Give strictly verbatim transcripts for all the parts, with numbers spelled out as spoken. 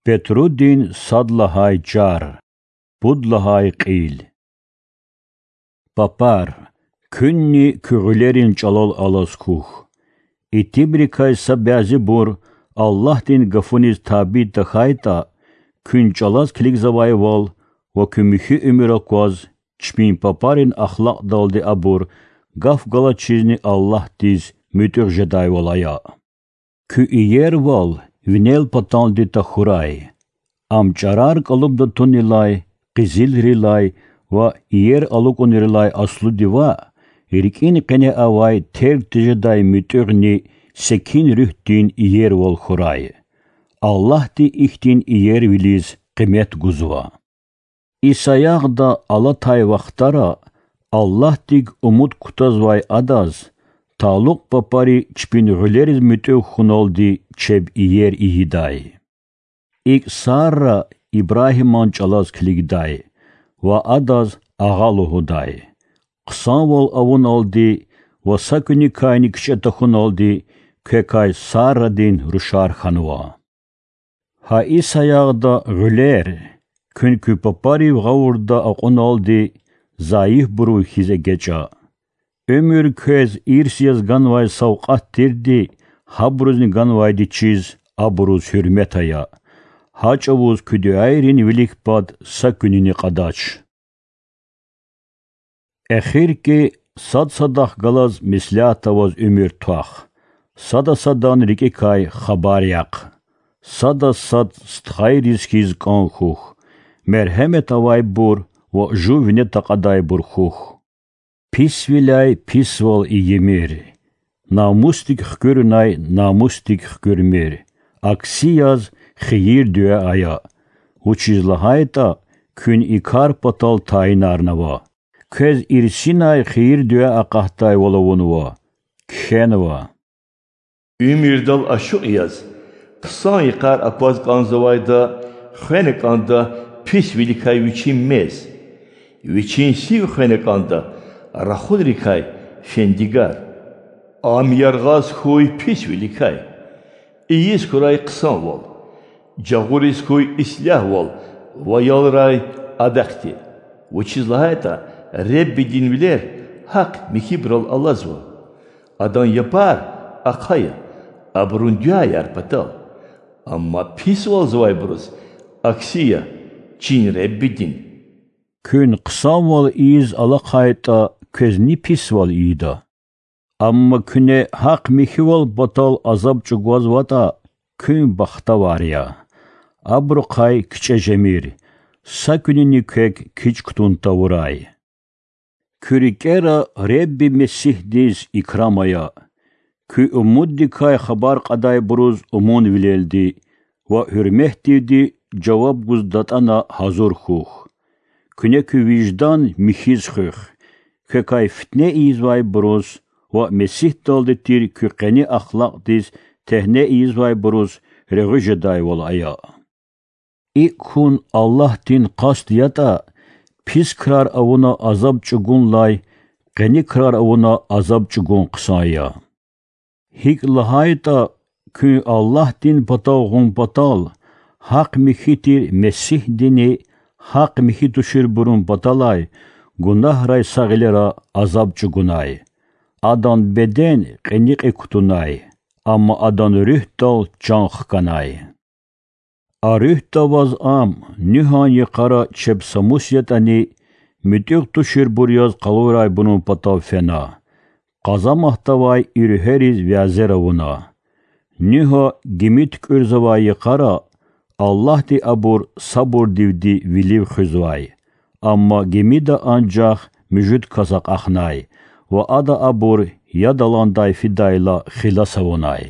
Петрудин сад лагьай чар, пуд лагьай кьил. Папар, куьнни куь гъуьлерин чӀалал алаз хьухь. Итимрикай са бязибур Аллагьдин гафуниз табий тахьайтӀа, куьн чӀалаз килигзавайвал ва куь михьи уьмуьр акваз, чпин папарин ахлакьдалди абур гаф галачизни Аллагьдиз муьтӀуьгъ жедайвал ая. Куь иервал винел патанди тахьурай. Ам чӀарар кӀалубда тунилай, къизилрилай ва иер алукӀунрилай аслуди ваъ, рикӀин къене авай терг тежедай муьтӀуьгъни секин руьгьдин иервал хьурай. Аллагьди ихьтин иервилиз къимет гузва. И саягъда алатай вахтара Аллагьдик умуд кутазвай адаз талукь папари чпин гъуьлериз муьтӀуьгъ хьуналди чеб иер ийидай. ИкӀ Сарра Ибрагьиман чӀалаз килигдай ва адаз агъа лугьудай. Хъсанвал авуналди ва са куьникайни кичӀе тахьуналди квекай Саррадин рушар хьанва. Гьа и саягъда гъуьлер, куьн куь папарив гъавурда акьуналди зайифбурун хьиз эгечӀа. Уьмуьр квез ирс яз ганвай савкьват тирди гьабурузни ганвайди чиз абуруз гьуьрмет ая. Гьа чӀавуз куь дуьайрин вилик пад са куьнини кьадач. Эхир хьи, сад садахъ галаз меслят аваз уьмуьр твах, сада садан рикӀикай хабар яхъ. Сада сад стхайриз хьиз кӀан хьухь, мергьемет авайбур ва жув вине такьадайбур хьухь. Писвиляй писвал ийимир, намусдик хкуьрунай намусдик хкуьрмир, акси яз хийир-дуьа ая, вучиз лагьайтӀа куьн и кар патал тайинарнава. Квез ирсинай хийир-дуьа акъатдайвал авунва, кхьенва. Уьмуьрдал ашукь яз, хъсан йикъар акваз кӀанзавайда хвена кӀанда писвиликай вичин мез, вичин сив хвена кӀанда рахунрикай фендигар. Ам яргъаз хьуй писвиликай. Ийиз хьурай хъсанвал, жагъуриз хьуй ислягьвал ва ялрай адахъди, вучиз лагьайтӀа Реббидин вилер гьахъ-михьибурал алазва. Адан япар ахъая абурун дуьаяр патал, амма писвалзавайбуруз акси я чин Реббидин. Куьн хъсанвал ийиз алахъайтӀа, квез ни писвал ийида? Амма куьне гьахъ-михьивал патал азаб чӀугвазватӀа, куьн бахтавар я. Абурухъай кичӀе жемир, са куьнини квек кичӀ кутун тавурай. Куь рикӀера Ребби Месигьдиз икрам ая. Куь умуддикай хабар кьадайбуруз умунвилелди ва гьуьрметдивди жаваб гуз датӀана гьазур хьухь. Куьне куь виждан михьиз хуьх, квекай фитне ийизвайбуруз ва Месигьдалди тир куь къени ахлакьдиз тегьне ийизвайбуруз регъуь жедайвал ая. ИкӀ хьун Аллагьдин къаст ятӀа, пис крар авуна азаб чӀугунлай къени крар авуна азаб чӀугун хъсан я. ГьикӀ лагьайтӀа, куьн Аллагьдин патав гъун патал, гьахъ-михьи тир Месигьдини гьахъ-михьи туширбурун паталай гунагьрай са гъилера азаб чӀугунай. Адан беден кьиникьи кутунай, амма адан руьгьдал чан хканай. А руьгьда ваз ам, Нуьгьан йикъара чеб са мус ятӀани, муьтӀуьгъ туширбур яз къалурайбурун патав фена. Къазаматдавай и руьгьериз вязер авуна. Нуьгьа гими туькӀуьрзавай йикъара Аллагьди абур сабурдивди вилив хуьзвай. Амма гимида анжах муьжуьд кас акьахнай ва ада абур яд аландай фидайла хилас авунай.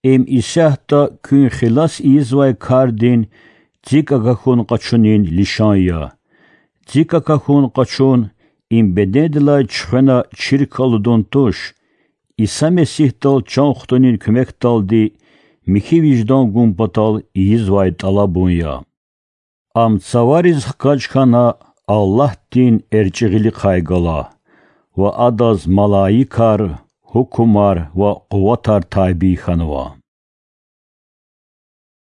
Им исятда куьн хилас ийизвай кардин цик акахьун-къачунин лишан я. Цик акахьун-къачун им бедендилай чуьхвена чирк алудун туш, Иса Месигьдал чан хтунин куьмекдалди михьи виждан гун патал ийизвай тӀалабун я. Ам цавариз хкаж хьана Аллагьдин эрчӀи гъилихъай гала ва Адаз малаикар, гьукумар ва къуватар табий хьанва.